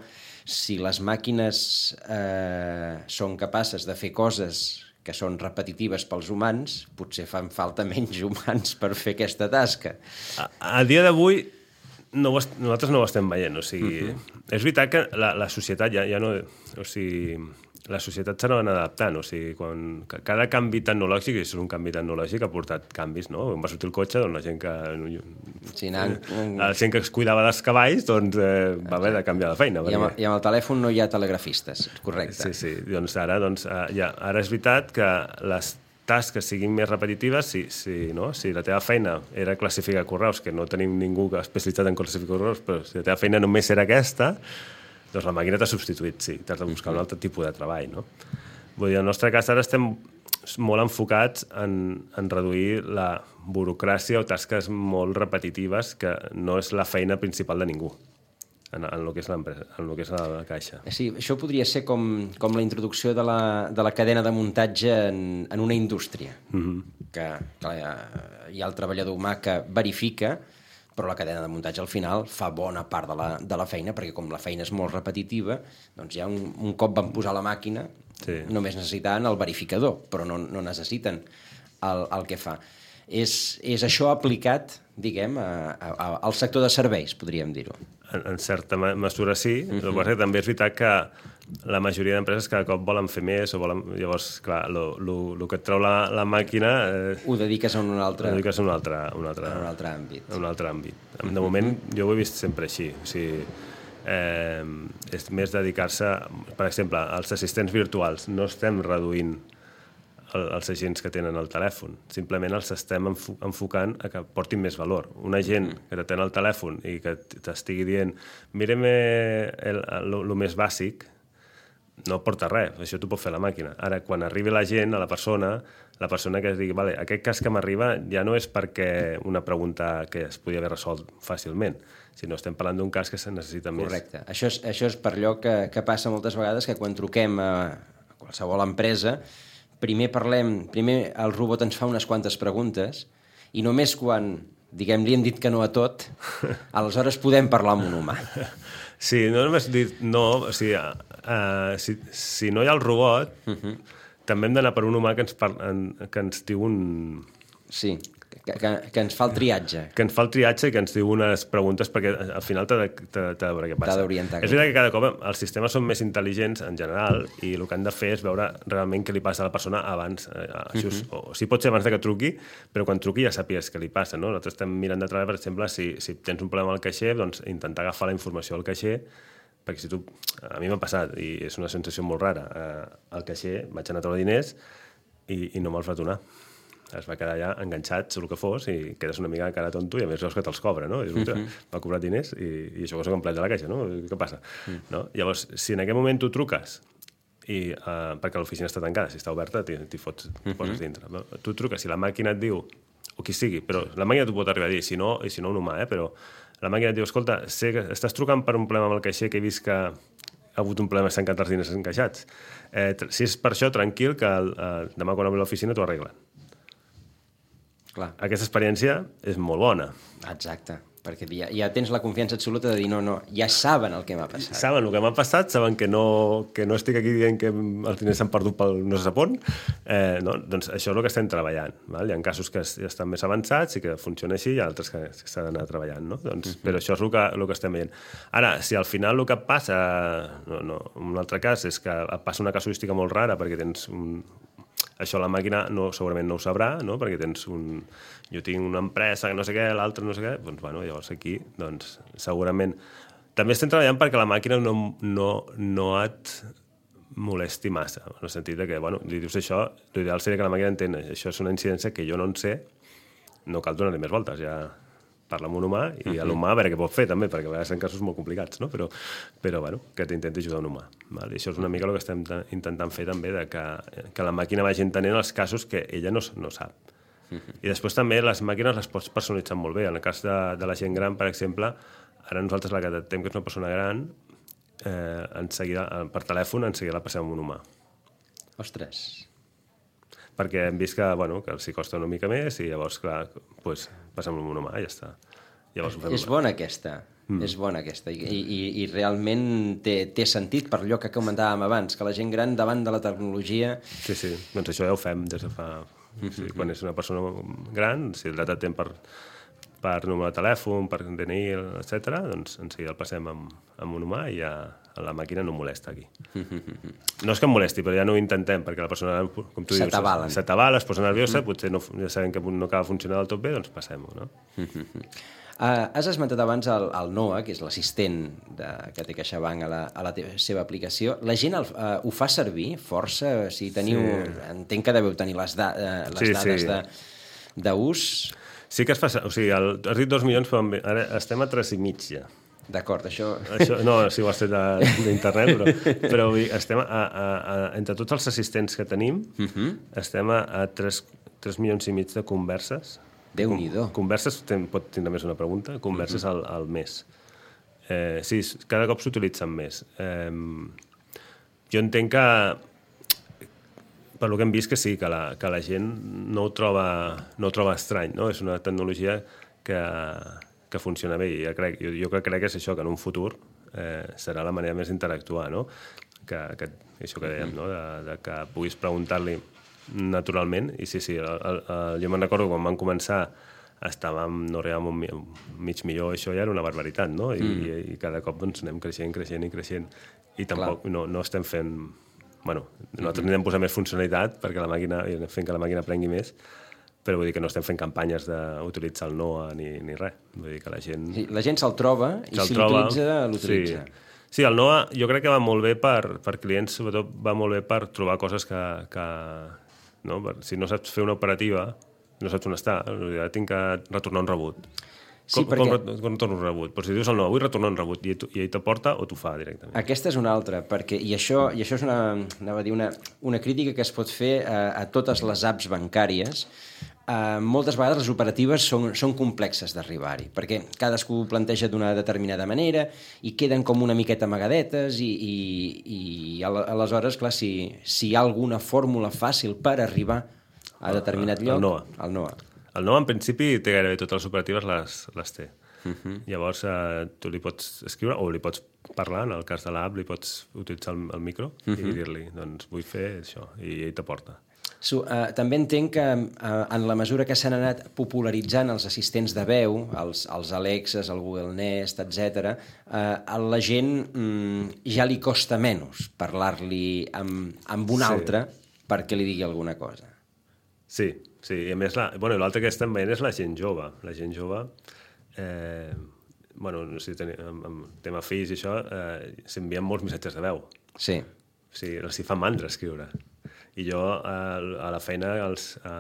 Si les màquines eh, són capaces de fer coses que són repetitives pels humans, potser fan falta menys humans per fer aquesta tasca. A, a dia d'avui no ho, nosaltres no ho estem veient, o sigui, uh-huh. és veritat que la, la societat ja, ja no... O sigui, la societat s'ha anat adaptant, o sigui, quan, cada canvi tecnològic, i és un canvi tecnològic, ha portat canvis, no? Quan va sortir el cotxe, doncs la gent que... Sí, anant... La gent que es cuidava dels cavalls, doncs eh, va haver de canviar de feina. I amb, I amb el telèfon no hi ha telegrafistes, correcte. Sí, sí, doncs ara, doncs, ja, ara és veritat que les tasques siguin més repetitives, si, si, no? Si la teva feina era classificar correus, que no tenim ningú especialitzat en classificar correus, però si la teva feina només era aquesta, doncs la màquina t'ha substituït, sí, t'has de buscar un altre tipus de treball, no? Vull dir, en el nostre cas ara estem molt enfocats en, en reduir la burocràcia o tasques molt repetitives que no és la feina principal de ningú en, en el que és l'empresa, en el que és la caixa. Sí, això podria ser com, com la introducció de la, de la cadena de muntatge en, en una indústria, mm-hmm. que clar, hi ha el treballador humà que verifica, però la cadena de muntatge al final fa bona part de la, de la feina, perquè com la feina és molt repetitiva, doncs ja un, un cop van posar la màquina, sí. només necessitaven el verificador, però no, no necessiten el, el que fa. És, és això aplicat, diguem, a, a, al sector de serveis, podríem dir-ho. En, en certa mesura sí, uh-huh. el que també és veritat que la majoria d'empreses cada cop volen fer més, o volen, llavors, clar, el que et treu la, la màquina... Eh, ho dediques a un altre... Ho dediques a un altre, un altre, a un altre àmbit. A un altre àmbit. De moment, jo ho he vist sempre així. O sigui, eh, és més dedicar-se, per exemple, als assistents virtuals. No estem reduint el, els agents que tenen el telèfon. Simplement els estem enfo enfocant a que portin més valor. Un agent mm. que t'atén el telèfon i que t'estigui dient mirem el, el, el més bàsic, no porta res, això t'ho pot fer la màquina. Ara, quan arribi la gent, a la persona, la persona que es digui, vale, aquest cas que m'arriba ja no és perquè una pregunta que es podia haver resolt fàcilment, sinó estem parlant d'un cas que se necessita més. Correcte. Això és, això és per allò que, que passa moltes vegades, que quan truquem a qualsevol empresa, primer parlem, primer el robot ens fa unes quantes preguntes, i només quan, diguem, li hem dit que no a tot, aleshores podem parlar amb un humà. Sí, no només dit no, o sigui, uh, si, si no hi ha el robot, uh-huh. també hem d'anar per un humà que ens, par en, que ens diu un... Sí, que, que, que ens fa el triatge. Que ens fa el triatge i que ens diu unes preguntes, perquè al final t'ha de, de veure què passa. T'ha d'orientar. És veritat que cada cop els sistemes són més intel·ligents en general i el que han de fer és veure realment què li passa a la persona abans. Eh, això és, uh-huh. o, o sigui, pot ser abans de que truqui, però quan truqui ja sàpigues què li passa. No? Nosaltres estem mirant de treballar, per exemple, si, si tens un problema al caixer, doncs intentar agafar la informació al caixer, perquè si tu... A mi m'ha passat, i és una sensació molt rara. Eh, al caixer vaig anar a treure diners i, i no me'ls va donar. Es va quedar allà enganxat, el que fos, i quedes una mica cara tonto, i a més veus que te'ls cobra, no? I dius, uh-huh. m'ha cobrat diners i, i això que soc empleat de la caixa, no? Què passa? Uh-huh. No? Llavors, si en aquest moment tu truques, i, uh, perquè l'oficina està tancada, si està oberta, t'hi fots, t'hi poses dintre. No? Tu truques, si la màquina et diu, o qui sigui, però la màquina t'ho pot arribar a dir, si no, i si no un humà, eh? Però la màquina et diu, escolta, sé que estàs trucant per un problema amb el caixer que he vist que ha hagut un problema, s'han quedat els diners encaixats. Eh, si és per això, tranquil, que el, uh, demà quan obri l'oficina t'ho arreglen. Clar. Aquesta experiència és molt bona. Exacte, perquè ja, ja tens la confiança absoluta de dir no, no, ja saben el que m'ha passat. Saben el que m'ha passat, saben que no, que no estic aquí dient que els diners s'han perdut pel no se sap on. Eh, no? Doncs això és el que estem treballant. Val? Hi ha casos que ja estan més avançats i que funciona així, i hi ha altres que, que s'ha d'anar treballant. No? Doncs, uh-huh. Però això és el que, el que estem veient. Ara, si al final el que passa, no, no, un altre cas és que passa una casuística molt rara perquè tens un... Això la màquina no, segurament no ho sabrà, no? Perquè tens un... Jo tinc una empresa que no sé què, l'altra no sé què, doncs, bueno, llavors aquí, doncs, segurament... També estem treballant perquè la màquina no, no, no et molesti massa, en el sentit de que, bueno, li dius això, l'ideal seria que la màquina entén, això és una incidència que jo no en sé, no cal donar-li més voltes, ja... parla amb un humà i uh-huh. l'humà a veure què pot fer també, perquè a vegades en casos molt complicats, no? Però, però bueno, que t'intenti ajudar un humà. Val? I això és una mica el que estem intentant fer també, de que, que la màquina vagi entenent els casos que ella no, no sap. Uh-huh. I després també les màquines les pots personalitzar molt bé. En el cas de, de la gent gran, per exemple, ara nosaltres la que detectem que és una persona gran, eh, en seguida, per telèfon, en seguida la passem amb un humà. Ostres... perquè hem vist que, bueno, que els hi costa una mica més i llavors, clar, pues, passem amb un humà i ja està. Llavors ho fem... És bona aquesta, mm. és bona aquesta. I, i, i realment té, té sentit per allò que comentàvem abans, que la gent gran davant de la tecnologia... Sí, sí, doncs això ja ho fem des de fa... Mm-hmm. Sí, quan és una persona gran, si el data tem per, per número de telèfon, per D N I, etcètera, doncs en seguida el passem amb, amb un humà i ja la màquina no molesta aquí. No és que em molesti, però ja no ho intentem, perquè la persona, com tu dius, s'atabala, es posa nerviosa, mm. potser no, ja sabem que no acaba funcionant del tot bé, doncs passem-ho, no? Uh, has esmentat abans el, el Noah, que és l'assistent de, que té CaixaBank a la, a la teva, seva aplicació. La gent el, uh, ho fa servir força? Si teniu, sí. Entenc que deveu tenir les, da, uh, les sí, dades sí. d'ús. Sí que es fa... O sigui, el, has dit dos milions, però ara estem a tres i mig ja. D'acord, això... això... No, si ho has fet d'internet, però, però estem a, a, a, entre tots els assistents que tenim, uh-huh. estem a, a tres milions i mig de converses. Déu-n'hi-do. Converses, ten, pot tindre més una pregunta, converses uh-huh. al, al mes. Eh, sí, cada cop s'utilitzen més. Eh, jo entenc que, per lo que hem vist, que sí, que la, que la gent no ho troba, no ho troba estrany, no? És una tecnologia que... que funciona bé i jo crec, jo, jo crec que és això, que en un futur eh, serà la manera més d'interactuar, no? Que, que, això que dèiem, no? De, de que puguis preguntar-li naturalment, i sí, sí, el, el, el, jo me'n recordo quan vam començar estàvem, no arribàvem un, un mig milió, això ja era una barbaritat, no? I, mm. i, i cada cop doncs, anem creixent, creixent i creixent, i tampoc no, no estem fent... Bueno, nosaltres mm-hmm. anem posant més funcionalitat perquè la màquina, i anem fent que la màquina aprengui més, però vull dir que no estem fent campanyes d'utilitzar el Noah ni, ni res. Vull dir que la gent... Sí, la gent se'l troba i se si l'utilitza, l'utilitza. Sí. sí, el Noah jo crec que va molt bé per, per clients, sobretot va molt bé per trobar coses que... que no? Per, si no saps fer una operativa, no saps on està, ja tinc que retornar un rebut. Sí, com, perquè... com, com retorno un rebut? Però si dius el Noah, vull retornar un rebut, i, tu, i ell t'aporta o t'ho fa directament? Aquesta és una altra, perquè, i això, i això és una, anava a dir una, una crítica que es pot fer a, a totes les apps bancàries. Uh, moltes vegades les operatives són, són complexes d'arribar-hi, perquè cadascú ho planteja d'una determinada manera i queden com una miqueta amagadetes i, i, i aleshores, clar, si, si hi ha alguna fórmula fàcil per arribar a determinat lloc... El Noah. El Noah. El Noah, en principi, té gairebé totes les operatives les, les té. Uh-huh. Llavors, uh, tu li pots escriure o li pots parlar, en el cas de l'app li pots utilitzar el, el micro uh-huh. i dir-li, doncs vull fer això, i ell t'aporta. So, uh, també entenc que uh, en la mesura que s'han anat popularitzant els assistents de veu, els, els Alexas, el Google Nest, etcètera, uh, a la gent um, ja li costa menys parlar-li amb, amb un sí. altre perquè li digui alguna cosa. Sí, sí. I a més, la, bueno, l'altre que estem veient és la gent jove. La gent jove, eh, bueno, no sé, ten, amb, amb tema fills i això, eh, s'envien molts missatges de veu. Sí. O sigui, els hi fa mandra escriure. I jo, a la feina, els, a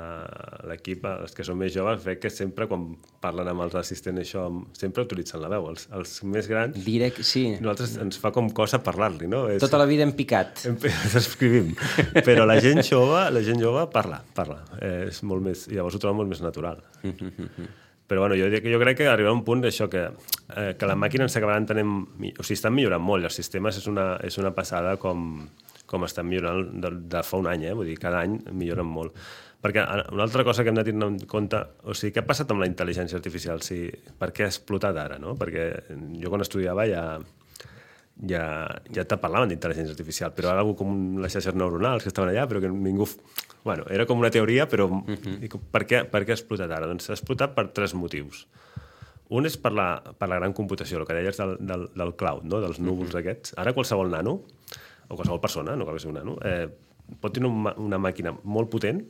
l'equip, els que són més joves, veig que sempre, quan parlen amb els assistents, això, sempre utilitzen la veu. Els, els més grans, Direct, sí. nosaltres ens fa com cosa parlar-li, no? És, tota la vida hem picat. Ens escrivim. Però la gent jove, la gent jove parla, parla. Eh, és molt més, llavors ho troba molt més natural. Però bueno, jo, jo crec que arribarà un punt d'això, que, eh, que la màquina ens acabarà entenent... O sigui, estan millorant molt. Els sistemes és una, és una passada com... com estan millorant de, de fa un any, eh? Vull dir, cada any milloren molt. Perquè una altra cosa que hem de tenir en compte, o sigui, què ha passat amb la intel·ligència artificial? O sigui, per què ha explotat ara, no? Perquè jo quan estudiava ja, ja, ja te parlaven d'intel·ligència artificial, però ara algú com les xarxes neuronals que estaven allà, però que ningú... Bueno, era com una teoria, però uh-huh. per, què, per què ha explotat ara? Doncs ha explotat per tres motius. Un és per la, per la gran computació, el que deies del, del, del cloud, no? Dels núvols uh-huh. aquests. Ara qualsevol nano, o qualsevol persona, no cal que sigui un nano, eh, pot tenir una, una màquina molt potent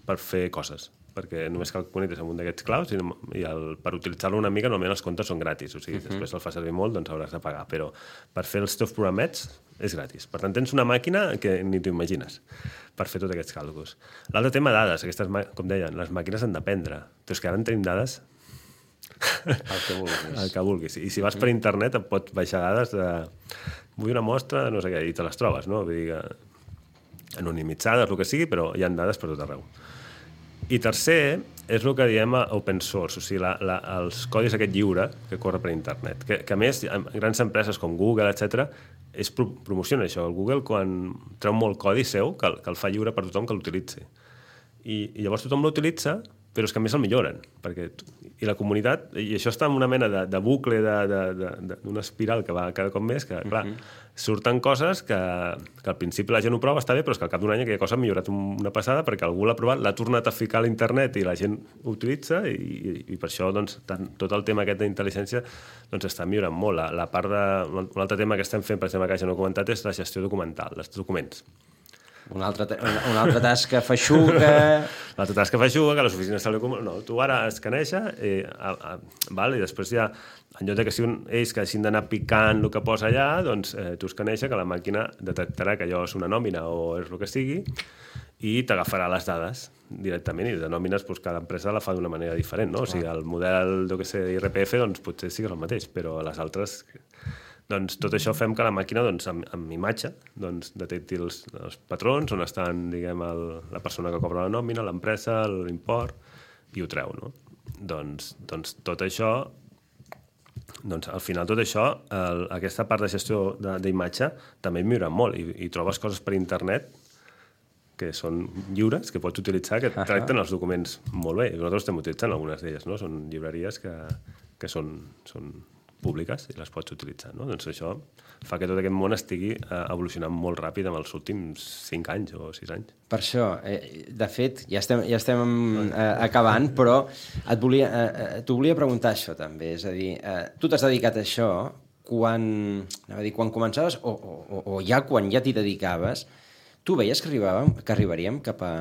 per fer coses, perquè només cal connectes amb un d'aquests clouds i, i el, per utilitzar-lo una mica normalment els comptes són gratis, o sigui, uh-huh. després el fa servir molt, doncs hauràs de pagar, però per fer els teus programets és gratis. Per tant, tens una màquina que ni t'ho imagines per fer tots aquests càlculs. L'altre tema, dades. Aquestes, com deien, les màquines han d'aprendre. Però és que ara en tenim dades El que vulguis. El que vulguis. I si vas per internet et pot baixar dades de... Vull una mostra de no sé què, i te les trobes, no? Vull dir que anonimitzades, el que sigui, però hi ha dades per tot arreu. I tercer, és el que diem open source, o sigui, la, la, els codis aquest lliure que corre per internet. Que, que a més, grans empreses com Google, etcètera, és pro promociona això. El Google, quan treu molt codi seu, que, que el fa lliure per tothom que l'utilitzi. I, I llavors tothom l'utilitza, però és que a més el milloren. Perquè, I la comunitat, i això està en una mena de, de bucle, d'una espiral que va cada cop més, que, clar, uh -huh. surten coses que, que al principi la gent ho prova, està bé, però és que al cap d'un any aquella cosa ha millorat una passada perquè algú l'ha provat, l'ha tornat a ficar a l'internet i la gent ho utilitza i, i, i per això doncs, tant, tot el tema aquest d'intel·ligència doncs, està millorant molt. La, la part de, un altre tema que estem fent, per exemple, que ja no he comentat, és la gestió documental, els documents. Una altra, una, una altra tasca feixuga... L'altra tasca feixuga, que les oficines... No, tu ara escaneja i, a, a, val, i després ja, en lloc que siguin ells que hagin d'anar picant el que posa allà, doncs eh, tu escaneja que la màquina detectarà que allò és una nòmina o és el que sigui i t'agafarà les dades directament, i de nòmines doncs, cada empresa la fa d'una manera diferent, no? O sigui, el model, jo què sé, I R P F, doncs potser sí que és el mateix, però les altres... Doncs tot això fem que la màquina, doncs, amb, amb imatge, doncs, detecti els, els patrons, on estan, diguem, el, la persona que cobra la nòmina, l'empresa, l'import, i ho treu, no? Doncs, doncs tot això, doncs, al final tot això, el, aquesta part de gestió d'imatge també millora molt, i, i trobes coses per internet que són lliures, que pots utilitzar, que tracten els documents molt bé. Nosaltres estem utilitzant algunes d'elles, no? Són llibreries que, que són... són públiques i les pots utilitzar, no? Doncs això fa que tot aquest món estigui eh, evolucionant molt ràpid en els últims cinc anys o sis anys. Per això, eh, de fet, ja estem, ja estem eh, acabant, però et volia, eh, t'ho volia preguntar això també, és a dir, eh, tu t'has dedicat a això quan, anava a dir, quan començaves o, o, o ja quan ja t'hi dedicaves, tu veies que arribàvem, que arribaríem cap a...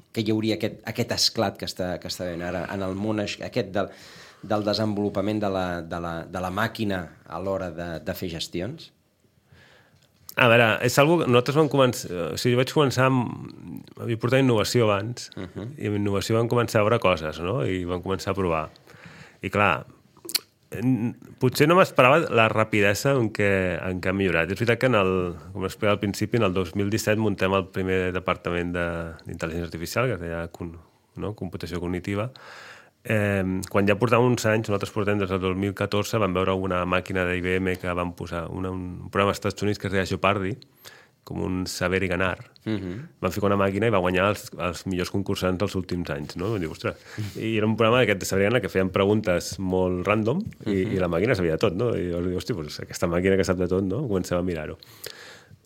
que hi hauria aquest, aquest esclat que està, que està veient ara en el món aquest del del desenvolupament de la, de la, de la màquina a l'hora de, de fer gestions? A veure, és algo que nosaltres vam començar... O sigui, jo vaig començar amb... Havia portat innovació abans, uh -huh. i amb innovació vam començar a veure coses, no? I vam començar a provar. I clar, potser no m'esperava la rapidesa en què, en què ha millorat. És veritat que, en el, com explicava al principi, en el dos mil disset muntem el primer departament d'intel·ligència artificial, que es deia no? computació cognitiva. Eh, quan ja portàvem uns anys, nosaltres portem des del dos mil catorze, vam veure una màquina d'I B M que van posar una, un programa als Estats Units que es deia Jeopardy, com un saber i ganar. Uh -huh. Van ficar una màquina i va guanyar els, els millors concursants dels últims anys, no? Diu, ostres. I era un programa d'aquest de saber i ganar que feien preguntes molt random i, uh -huh. i la màquina sabia de tot, no? I jo dic, hosti, pues aquesta màquina que sap de tot, no? Comencem a mirar-ho.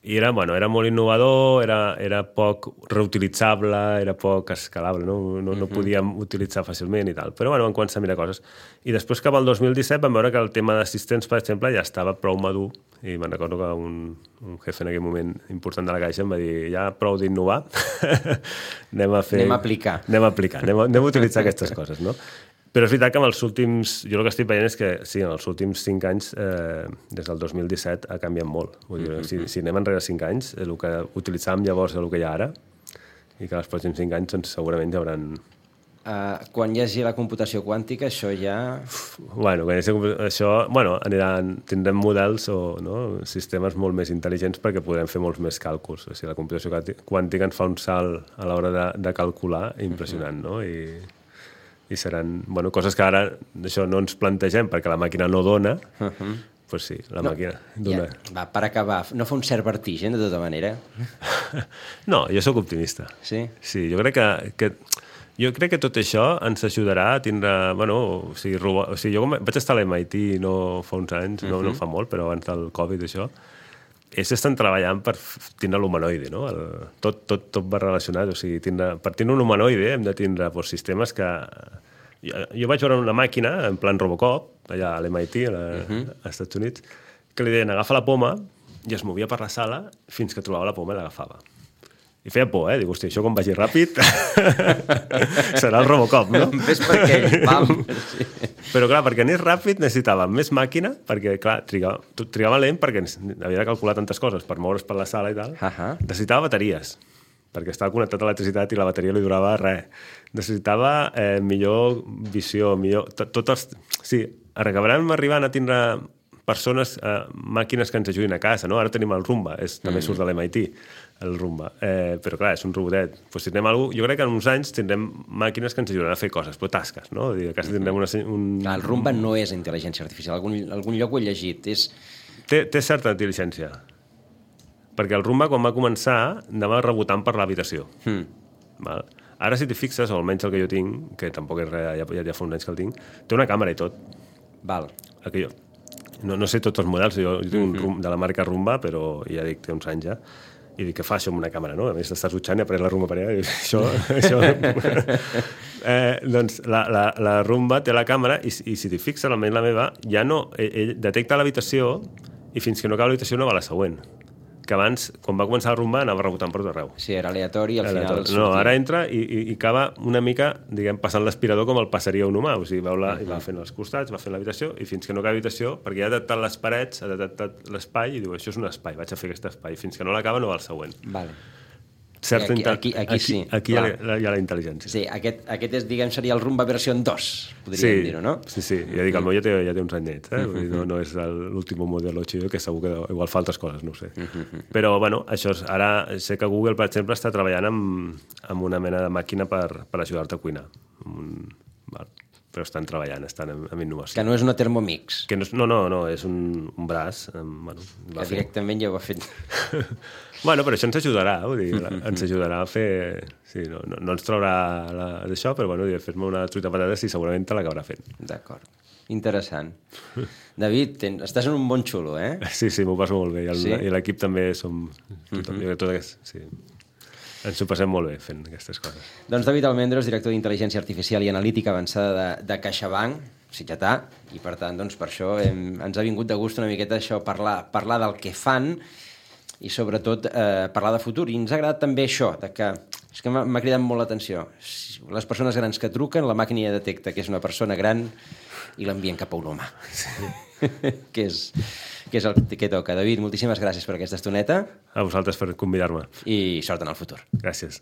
I era, bueno, era molt innovador, era, era poc reutilitzable, era poc escalable, no? No, no podíem utilitzar fàcilment i tal. Però bueno, vam començar a mirar coses. I després, cap al dos mil disset, vam veure que el tema d'assistents, per exemple, ja estava prou madur. I me'n recordo que un, un jefe en aquell moment important de la Caixa em va dir, ja prou d'innovar, anem a fer... Anem a aplicar. Anem a aplicar, anem a, anem a utilitzar aquestes coses, no? Però és veritat que en els últims... Jo el que estic veient és que, sí, en els últims cinc anys, eh, des del dos mil disset, ha canviat molt. Vull dir, mm-hmm. si, si anem enrere cinc anys, el que utilitzàvem llavors és el que hi ha ara, i que els pròxims cinc anys doncs, segurament hi haurà... Uh, quan hi hagi la computació quàntica, això ja... Uf, bueno, quan hi hagi això... Bueno, aniran, tindrem models o no, sistemes molt més intel·ligents perquè podrem fer molts més càlculs. O sigui, la computació quàntica ens fa un salt a l'hora de, de calcular impressionant, no? I... i seran bueno, coses que ara això no ens plantegem perquè la màquina no dona, uh -huh. pues sí, la no, màquina dona. Ja, va, per acabar, no fa un cert vertigen de tota manera? No, jo sóc optimista. Sí? Sí, jo crec que, que jo crec que tot això ens ajudarà a tindre, bueno, o sigui, robo... o sigui jo vaig estar a l'M I T no fa uns anys, uh -huh. no, no fa molt, però abans del Covid això, ells estan treballant per tindre l'humanoide, no? El, tot, tot, tot va relacionat, o sigui, tindre, per tindre un humanoide hem de tindre pues, sistemes que... Jo, jo vaig veure una màquina, en plan Robocop, allà a l'M I T, a la, uh -huh. als Estats Units, que li deien agafa la poma i es movia per la sala fins que trobava la poma i l'agafava. I feia por, eh? Dic, hòstia, això quan vagi ràpid serà el Robocop, no? Ves per aquell, pam! Sí. Però, clar, perquè anés ràpid necessitava més màquina, perquè, clar, trigava, trigava lent perquè havia de calcular tantes coses per moure's per la sala i tal. Uh -huh. Necessitava bateries, perquè estava connectat a l'electricitat i la bateria li durava res. Necessitava eh, millor visió, millor... Tot els... Sí, acabarem arribant a tindre persones, eh, màquines que ens ajudin a casa, no? Ara tenim el Roomba, és, també surt de l'M I T, el Roomba. Eh, però clar, és un robotet. Pues tindrem algú, jo crec que en uns anys tindrem màquines que ens ajudaran a fer coses, però tasques, no? Dir, a casa tindrem una, un... Clar, el Roomba no és intel·ligència artificial. Algun, algun lloc ho he llegit. És... Té, té certa intel·ligència. Perquè el Roomba, quan va començar, anava rebotant per l'habitació. Mm. Val? Ara, si t'hi fixes, o almenys el que jo tinc, que tampoc és res, ja, ja fa uns anys que el tinc, té una càmera i tot. Val. El que jo... No, no sé tots els models, jo, jo tinc un mm-hmm. de la marca Roomba, però ja dic, té uns anys ja, i dic, què fa això amb una càmera, no? A més, t'estàs dutxant i ha pres la Roomba per allà, i dic, això... això... eh, doncs la, la, la Roomba té la càmera, i, i si t'hi fixes, almenys la meva, ja no... Ell, ell detecta l'habitació, i fins que no acaba l'habitació no va a la següent. Que abans, quan va començar a rumbar, anava rebotant per tot arreu. Sí, era aleatori i al final... Sortia. No, ara entra i, i, i acaba una mica, diguem, passant l'aspirador com el passaria un humà. O sigui, veu la, uh -huh. i va fent els costats, va fent l'habitació, i fins que no acaba l'habitació, perquè ja ha detectat les parets, ha detectat l'espai, i diu, això és un espai, vaig a fer aquest espai. Fins que no l'acaba, no va al següent. Vale. Certa aquí, aquí, aquí, aquí sí. Aquí hi ha, la, hi ha la intel·ligència. Sí, aquest, aquest és, diguem, seria el Roomba versió dos, podríem sí, dir-ho, no? Sí, sí. Ja dic, el meu ja té, ja té uns anyets, eh? Vull dir, no, no és l'últim model chido, que segur que igual fa altres coses, no ho sé. Però, bueno, això és, ara sé que Google, per exemple, està treballant amb, amb una mena de màquina per, per ajudar-te a cuinar. Un, val. Però estan treballant, estan en, en innovació. Que no és una Thermomix. Que no, no, no, no, és un, un braç. Bueno, que directament ja ho ha fet. Bueno, però això ens ajudarà, vull dir, ens ajudarà a fer... Sí, no, no, no ens traurà d'això, però bueno, fes-me una truita de patates i segurament te l'acabarà fent. D'acord. Interessant. David, ten, estàs en un bon xulo, eh? Sí, sí, m'ho passo molt bé. I, el, sí? I l'equip també som... Tothom, jo, tot aquest, sí. Ens ho passem molt bé fent aquestes coses. Doncs David Almendros, director d'Intel·ligència Artificial i Analítica Avançada de, de CaixaBank, sitgetà, i per tant, doncs, per això hem, ens ha vingut de gust una miqueta això, parlar, parlar del que fan i sobretot eh, parlar de futur. I ens ha agradat també això, de que, és que m'ha cridat molt l'atenció. Les persones grans que truquen, la màquina ja detecta que és una persona gran i l'envien cap a un humà. Sí. que, és, que és el que toca. David, moltíssimes gràcies per aquesta estoneta. A vosaltres per convidar-me. I sort en el futur. Gràcies.